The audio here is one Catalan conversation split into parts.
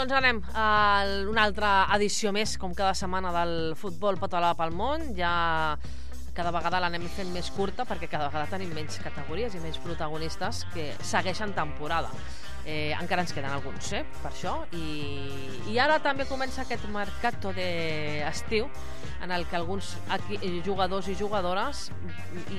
Doncs anem a una altra edició més, com cada setmana, del futbol català pel món. Ja cada vegada l'anem fent més curta perquè cada vegada tenim menys categories i menys protagonistes que segueixen temporada. Encara ens queden alguns, per això. I ara també comença aquest mercato d'estiu en el que alguns jugadors i jugadores,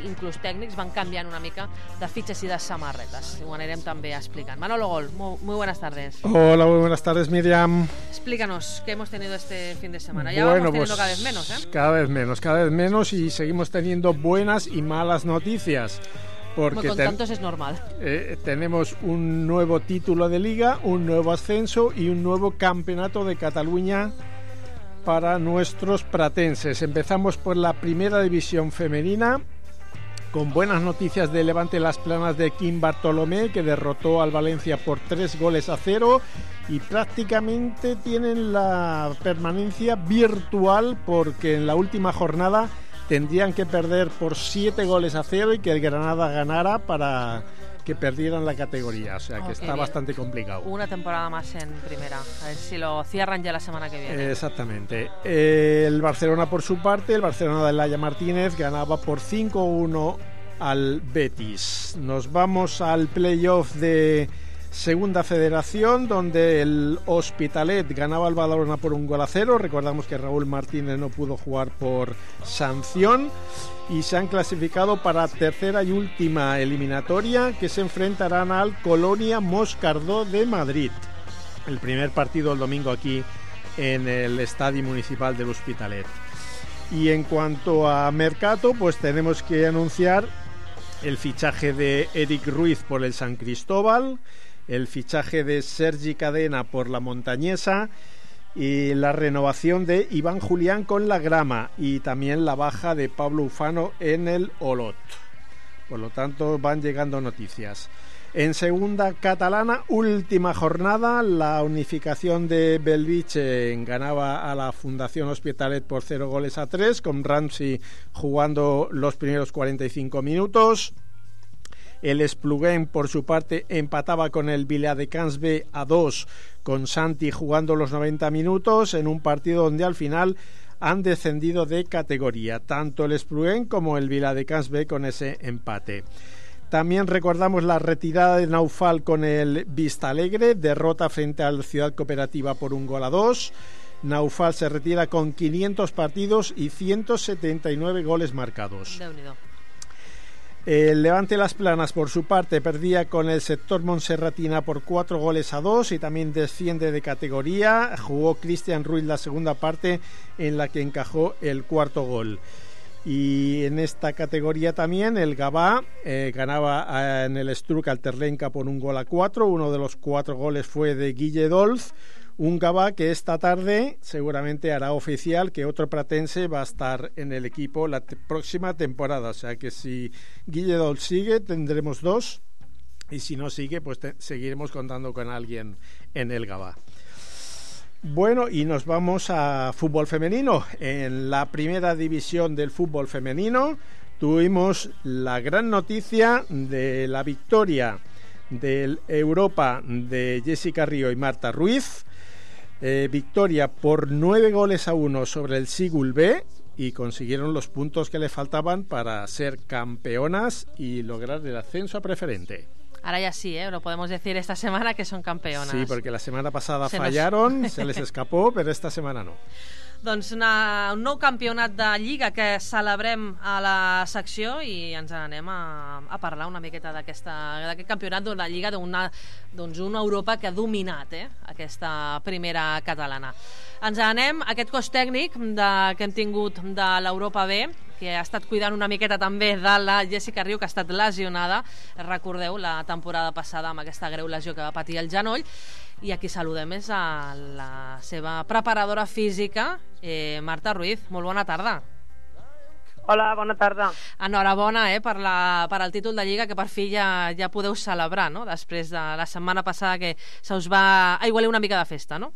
inclús tècnics, van canviant una mica de fitxes y de samarretas. Ho anirem també explicant. Manolo Gol, muy buenas tardes. Hola, muy buenas tardes, Miriam. Explícanos, ¿qué hemos tenido este fin de semana? Ya vamos teniendo cada vez menos, Cada vez menos y seguimos teniendo buenas y malas noticias. Porque con tantos es normal. Tenemos un nuevo título de liga, un nuevo ascenso y un nuevo campeonato de Cataluña para nuestros pratenses. Empezamos por la primera división femenina, con buenas noticias de Levante Las Planas de Quim Bartolomé, que derrotó al Valencia por 3-0 y prácticamente tienen la permanencia virtual, porque en la última jornada tendrían que perder por 7-0 y que el Granada ganara para que perdieran la categoría. O sea que está bastante complicado. Una temporada más en primera. A ver si lo cierran ya la semana que viene. Exactamente. El Barcelona, por su parte, el Barcelona de Laia Martínez ganaba por 5-1 al Betis. Nos vamos al playoff de Segunda Federación, donde el Hospitalet ganaba al Badalona por 1-0. Recordamos que Raúl Martínez no pudo jugar por sanción y se han clasificado para tercera y última eliminatoria, que se enfrentarán al Colonia Moscardó de Madrid. El primer partido el domingo aquí en el Estadio Municipal del Hospitalet. Y en cuanto a mercado, pues tenemos que anunciar el fichaje de Eric Ruiz por el San Cristóbal, el fichaje de Sergi Cadena por la Montañesa y la renovación de Iván Julián con la Grama, y también la baja de Pablo Ufano en el Olot. Por lo tanto, van llegando noticias. En segunda catalana, última jornada, la unificación de Bellvitge ganaba a la Fundación Hospitalet por 0-3, con Ramsey jugando los primeros 45 minutos. El Espluguén, por su parte, empataba con el Viladecans B a 2, con Santi jugando los 90 minutos, en un partido donde al final han descendido de categoría, tanto el Espluguén como el Viladecans B, con ese empate. También recordamos la retirada de Naufal con el Vistalegre, derrota frente al Ciudad Cooperativa por 1-2. Naufal se retira con 500 partidos y 179 goles marcados. El Levante Las Planas, por su parte, perdía con el Sector Monserratina por 4-2 y también desciende de categoría. Jugó Cristian Ruiz la segunda parte, en la que encajó el cuarto gol. Y en esta categoría también el Gavà ganaba en el Estruc al Terlenca por 1-4. Uno de los 4 goles fue de Guille Dolz. Un Gavà que esta tarde seguramente hará oficial que otro pratense va a estar en el equipo la próxima temporada. O sea que si Guille Dolz sigue, tendremos 2. Y si no sigue, pues seguiremos contando con alguien en el Gavà. Bueno, y nos vamos a fútbol femenino. En la primera división del fútbol femenino tuvimos la gran noticia de la victoria del Europa de Jessica Río y Marta Ruiz. Victoria por 9-1 sobre el Sigul B, y consiguieron los puntos que le faltaban para ser campeonas y lograr el ascenso a preferente. Ahora ya sí, lo podemos decir esta semana que son campeonas. Sí, porque la semana pasada fallaron, se les escapó, però esta setmana no. Doncs un nou campionat de Lliga que celebrem a la secció, i ens anem a parlar una miqueta d'aquest campionat de la Lliga d'una Europa que ha dominat aquesta primera catalana. Ens anem a aquest cos tècnic que hem tingut de l'Europa B, que ha estat cuidant una miqueta també de la Jessica Río, que ha estat lesionada, recordeu, la temporada passada amb aquesta greu lesió que va patir el genoll. I aquí saludem és a la seva preparadora física, Marta Ruiz. Molt bona tarda. Hola, bona tarda. Enhorabona per al títol de Lliga, que per fi ja podeu celebrar, no? Després de la setmana passada que se us va aigualir una mica de festa, no?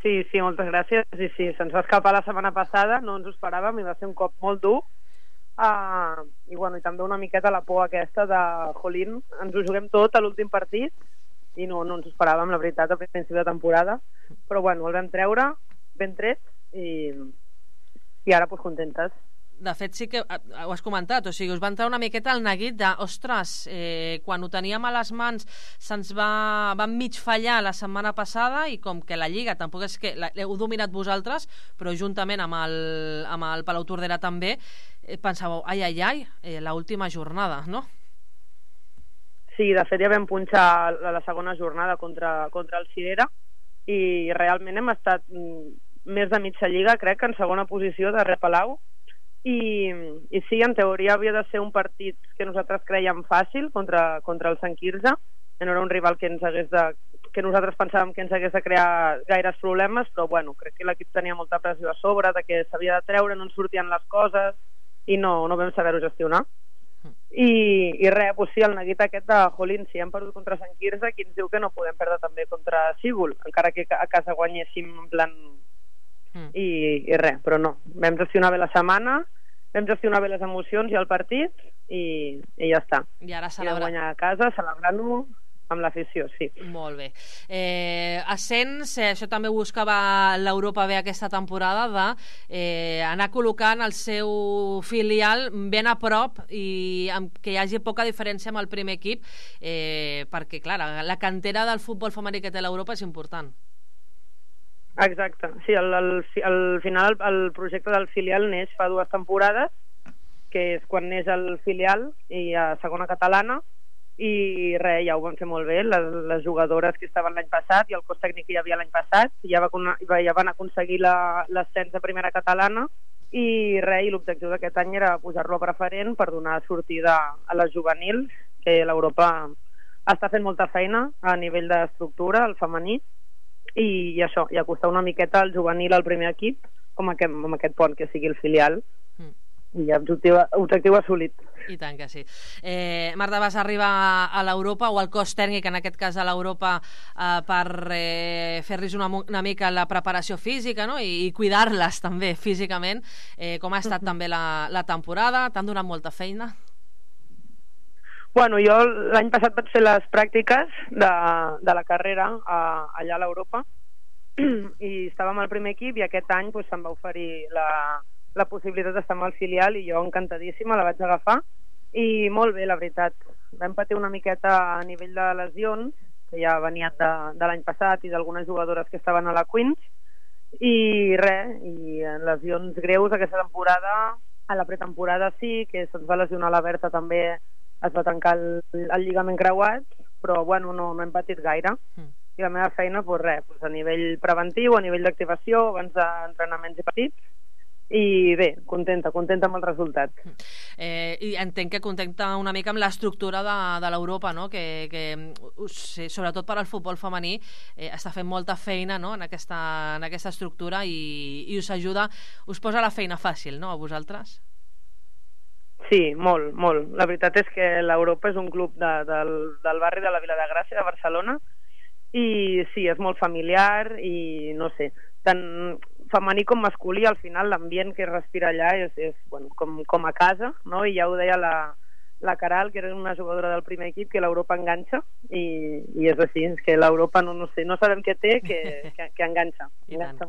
Sí, moltes gràcies. Sí, se'ns va escapar la setmana passada, no ens ho esperàvem i va ser un cop molt dur. I també una miqueta la por aquesta de jolín, ens ho juguem tot a l'últim partit i no ens ho esperàvem, la veritat, a principi de temporada, però bueno, el vam treure ben tret i ara pues contentes. De fet, sí que ho has comentat, o sigui, us va entrar una miqueta el neguit de, ostres, quan ho teníem a les mans se'ns va mig fallar la setmana passada i com que la Lliga tampoc és que l'heu dominat vosaltres, però juntament amb el Palau Tordera també, pensàveu, ai, l'última jornada, no? Sí, de fet ja vam punxar la segona jornada contra el Cirera i realment hem estat més de mitja Lliga, crec que en segona posició darrere Palau. I sí, en teoria havia de ser un partit que nosaltres creiem fàcil contra el Sant Quirze, no era un rival que nosaltres pensàvem que ens hagués de crear gaires problemes, però bueno, crec que l'equip tenia molta pressió a sobre, de que s'havia de treure, no ens sortien les coses i no vam saber-ho gestionar. I res, doncs sí, el neguit aquest de Jolín, si hem perdut contra Sant Quirze, qui ens diu que no podem perdre també contra Sígul, encara que a casa guanyéssim en plan... I res, però no, vam gestionar bé la setmana, vam gestionar bé les emocions i el partit i ja està. I ara I vam guanyar a casa, celebrant-ho amb l'afició, sí. Molt bé. Ascens, això també buscava l'Europa bé aquesta temporada, d'anar col·locant el seu filial ben a prop i que hi hagi poca diferència amb el primer equip, perquè, clar, la cantera del futbol femení que té l'Europa és important. Exacte, sí, al final el projecte del filial neix fa 2 temporades, que és quan neix el filial i a segona catalana, i res, ja ho van fer molt bé, les jugadores que estaven l'any passat i el cos tècnic que hi havia l'any passat ja van aconseguir l'ascens de primera catalana i res, i l'objectiu d'aquest any era posar-lo a preferent per donar sortida a les juvenils, que l'Europa està fent molta feina a nivell d'estructura, el femení, i això, i acostar una miqueta al juvenil al primer equip com aquest pont que sigui el filial i objectiu assolit. I tant que sí. Marta, vas arribar a l'Europa o al cos tècnic, en aquest cas a l'Europa, per fer-los una mica la preparació física, no? I cuidar-les també físicament. Com ha estat també la temporada? T'han donat molta feina? Bueno, jo l'any passat vaig fer les pràctiques de la carrera allà a l'Europa i estàvem al primer equip i aquest any doncs, se'm va oferir la possibilitat d'estar amb el filial i jo encantadíssima la vaig agafar i molt bé, la veritat. Vam patir una miqueta a nivell de lesions que ja venien de l'any passat i d'algunes jugadores que estaven a la Queens i res, i lesions greus aquesta temporada. A la pretemporada sí, que se'ns va lesionar la Berta també, es va tancar el lligament creuat, però bueno, no hem patit gaire. I la meva feina, doncs res, a nivell preventiu, a nivell d'activació, abans d'entrenaments i partits, i bé, contenta amb el resultat. I entenc que contenta una mica amb l'estructura de l'Europa, no? que sobretot per al futbol femení està fent molta feina, no? en aquesta estructura i us ajuda, us posa la feina fàcil, no?, a vosaltres? Sí, molt. La veritat és que l'Europa és un club del barri de la Vila de Gràcia, de Barcelona, i sí, és molt familiar i no sé, tant femení com masculí, al final l'ambient que es respira allà és bueno, com a casa, no? I ja ho deia la Caral, que era una jugadora del primer equip, que l'Europa enganxa i és així, és que l'Europa no sabem què té, que enganxa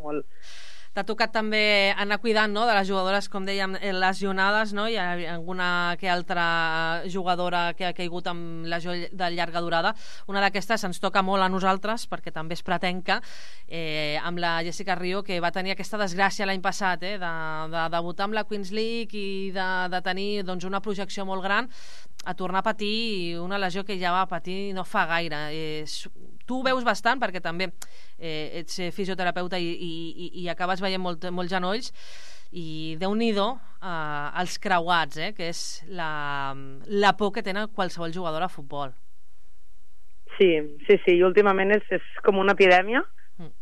molt. T'ha tocat també anar cuidant, no?, de les jugadores, com dèiem, lesionades, no? Hi ha alguna que altra jugadora que ha caigut amb lesió de llarga durada. Una d'aquestes ens toca molt a nosaltres, perquè també és pretenca, amb la Jessica Rio, que va tenir aquesta desgràcia l'any passat, de debutar amb la Queens League i de tenir doncs, una projecció molt gran, a tornar a patir una lesió que ja va patir no fa gaire. Tu ho veus bastant, perquè també ets fisioterapeuta i acabes veient molts genolls, i Déu-n'hi-do els creuats, que és la por que tenen qualsevol jugador a futbol. Sí, i últimament és com una epidèmia,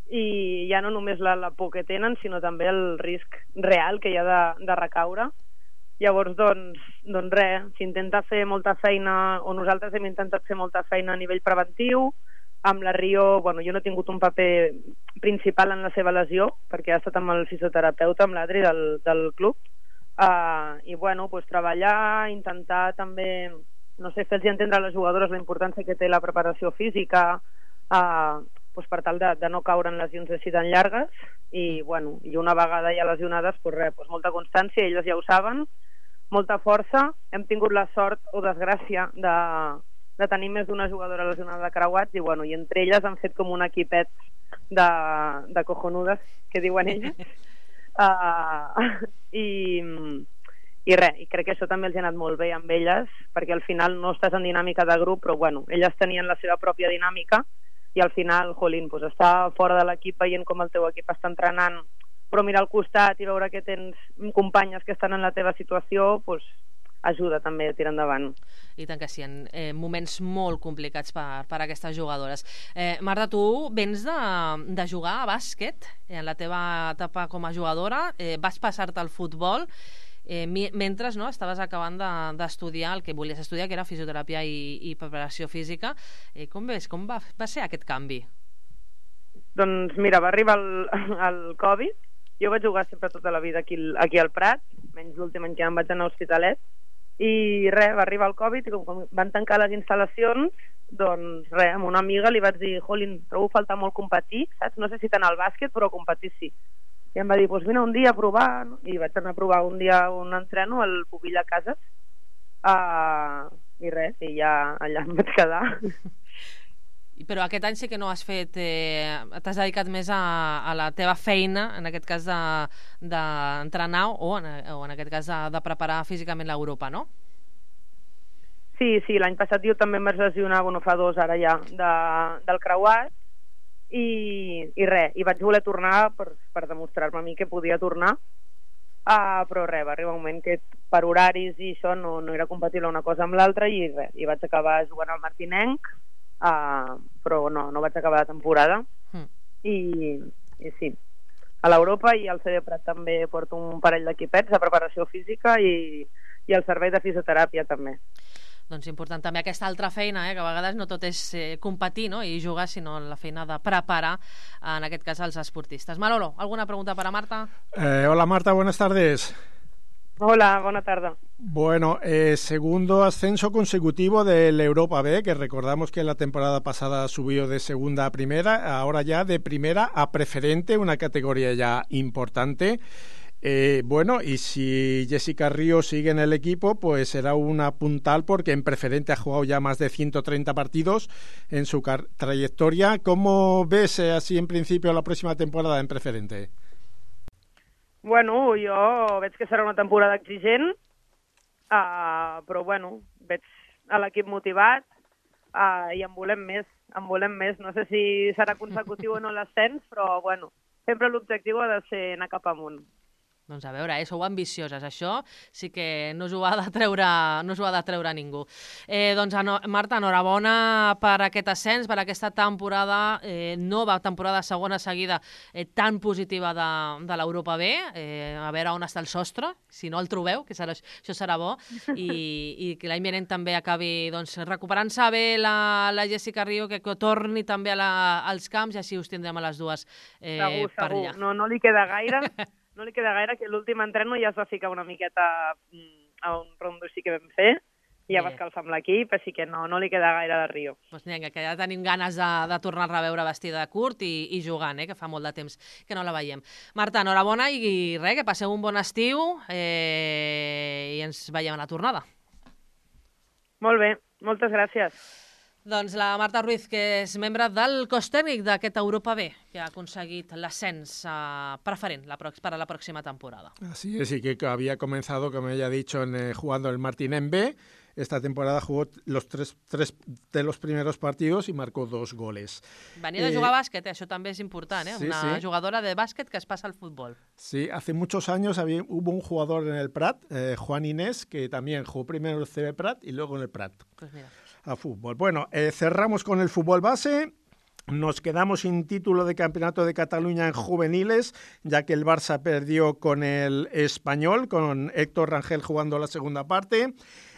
i ja no només la por que tenen, sinó també el risc real que hi ha de recaure. Llavors, doncs res, s'intenta fer molta feina, o nosaltres hem intentat fer molta feina a nivell preventiu. Amb la Rio, bueno, jo no he tingut un paper principal en la seva lesió, perquè ha estat amb el fisioterapeuta, amb l'Adri del club, i bueno, doncs treballar, intentar també no sé, fer-los entendre a les jugadores la importància que té la preparació física doncs per tal de no caure en lesions així tan llargues i, bueno, i una vegada ja lesionades, doncs molta constància, elles ja ho saben, molta força. Hem tingut la sort o desgràcia de tenir més d'una jugadora lesionada de creuats i, bueno, i entre elles han fet com un equipet de cojonudes, que diuen elles. I res, i crec que això també els ha anat molt bé amb elles, perquè al final no estàs en dinàmica de grup, però bueno, elles tenien la seva pròpia dinàmica i al final, jolín, doncs estar fora de l'equip veient com el teu equip està entrenant, però mirar al costat i veure que tens companyes que estan en la teva situació, doncs ajuda també a tirar endavant. I tant que sí, en moments molt complicats per a aquestes jugadores. Marta, tu vens de jugar a bàsquet en la teva etapa com a jugadora, vas passar-te al futbol, mentre no, estaves acabant d'estudiar el que volies estudiar, que era fisioteràpia i preparació física. Com ves? Com va ser aquest canvi? Doncs mira, va arribar el Covid. Jo vaig jugar sempre tota la vida aquí al Prat, menys l'últim any que em vaig anar a Hospitalet, i res, va arribar el Covid i com van tancar les instal·lacions, doncs res, amb una amiga li vaig dir, jolín, trobo falta molt competir, saps? No sé si tant al bàsquet, però competir sí. I em va dir, doncs vine un dia a provar, no? I vaig anar a provar un dia un entreno al Pubilla Cases, i res, i ja allà em vaig quedar. Però aquest any sí que no has fet, t'has dedicat més a la teva feina, en aquest cas d'entrenar o en aquest cas de preparar físicament l'Europa, no? Sí, l'any passat jo també em vaig lesionar, bueno, fa 2 ara ja, del creuat, i res, i vaig voler tornar per demostrar-me a mi que podia tornar, però res, va arribar un moment que per horaris i això no era compatible una cosa amb l'altra i res, i vaig acabar jugant al Martinenc, però no vaig acabar la temporada i sí, a l'Europa i al CD Prat també porto un parell d'equipets de preparació física i el servei de fisioteràpia també. Doncs important també aquesta altra feina, que a vegades no tot és competir, no? I jugar, sinó la feina de preparar, en aquest cas, els esportistes. Manolo, ¿alguna pregunta para Marta? Hola Marta, buenas tardes. Hola, buena tarde. Bueno, segundo ascenso consecutivo del Europa B, que recordamos que la temporada pasada subió de segunda a primera, ahora ya de primera a preferente, una categoría ya importante. Bueno, y si Jessica Ríos sigue en el equipo, pues será una puntal porque en preferente ha jugado ya más de 130 partidos en su trayectoria. ¿Cómo ves así en principio la próxima temporada en preferente? Bueno, jo veig que serà una temporada exigent, però bueno, veig a l'equip motivat i en volem més. No sé si serà consecutiu o no l'ascens, però bueno, sempre l'objectiu ha de ser anar cap amunt. Doncs a veure, sou ambicioses, això sí que no us ho ha de treure ningú. Doncs Marta, enhorabona per aquest ascens, per aquesta temporada, nova temporada segona seguida tan positiva de l'Europa B, a veure on està el sostre, si no el trobeu, que això serà bo, i que l'any vinent també acabi recuperant-se bé la Jessica Ríos, que torni també als camps i així us tindrem a les dues per allà. Segur, no li queda gaire. No li queda gaire, que l'últim entreno ja es va ficar una miqueta a un rondo així que vam fer, i ja va escalfar amb l'equip, així que no li queda gaire de Rio. Doncs vinga, que ja tenim ganes de tornar-la a veure vestida de curt i jugant, que fa molt de temps que no la veiem. Marta, enhorabona i res, que passeu un bon estiu i ens veiem a la tornada. Molt bé, moltes gràcies. Doncs la Marta Ruiz, que és membre del cos tècnic d'aquest Europa B, que ha aconseguit l'ascens preferent para la próxima temporada. Así es, y que había comenzado, como ella ha dicho, jugando el Martinenc B. Esta temporada jugó los tres de los primeros partidos y marcó 2 goles. Venia de jugar a bàsquet, això també és important, Sí, una jugadora de bàsquet que es pasa al fútbol. Sí, hace muchos años hubo un jugador en el Prat, Juan Inés, que también jugó primero en el CB Prat y luego en el Prat. Pues mira. A fútbol. Bueno, cerramos con el fútbol base. Nos quedamos sin título de Campeonato de Cataluña en juveniles, ya que el Barça perdió con el Español, con Héctor Rangel jugando la segunda parte.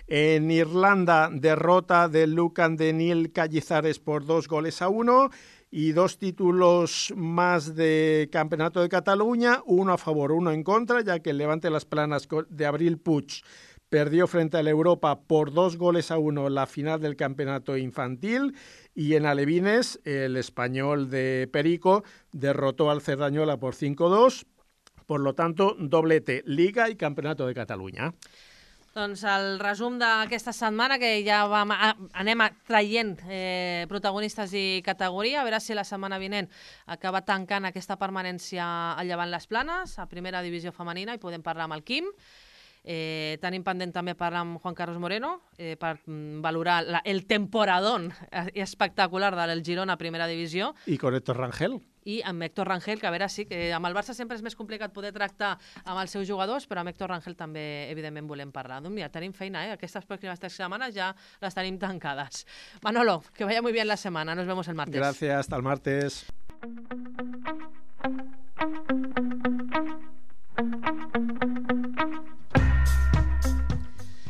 En Irlanda, derrota del Lucan de Neil Cañizares por 2-1 y 2 títulos más de Campeonato de Cataluña, 1 a favor, 1 en contra, ya que el Levante Las Planas de Abril Puig perdió frente al Europa por 2-1 la final del campeonato infantil, y en alevines el Español de Perico derrotó al Cerdanyola por 5-2. Por lo tanto, doblete, Liga i Campionat de Catalunya. Doncs el resum d'aquesta setmana, que ja anem traient protagonistes i categoria, a veure si la setmana vinent acaba tancant aquesta permanència al Llevant Les Planes, a primera divisió femenina, i podem parlar amb el Quim. Tenim pendent també parlar amb Juan Carlos Moreno per valorar el temporadón espectacular del Girona a primera divisió. I con Héctor Rangel. I amb Héctor Rangel, que a veure, sí, que amb el Barça sempre és més complicat poder tractar amb els seus jugadors, però amb Héctor Rangel també, evidentment, volem parlar. Doncs mira, tenim feina, Aquestes pròximes 3 setmanes ja les tenim tancades. Manolo, que vaya muy bien la semana. Nos vemos el martes. Gracias, hasta el martes.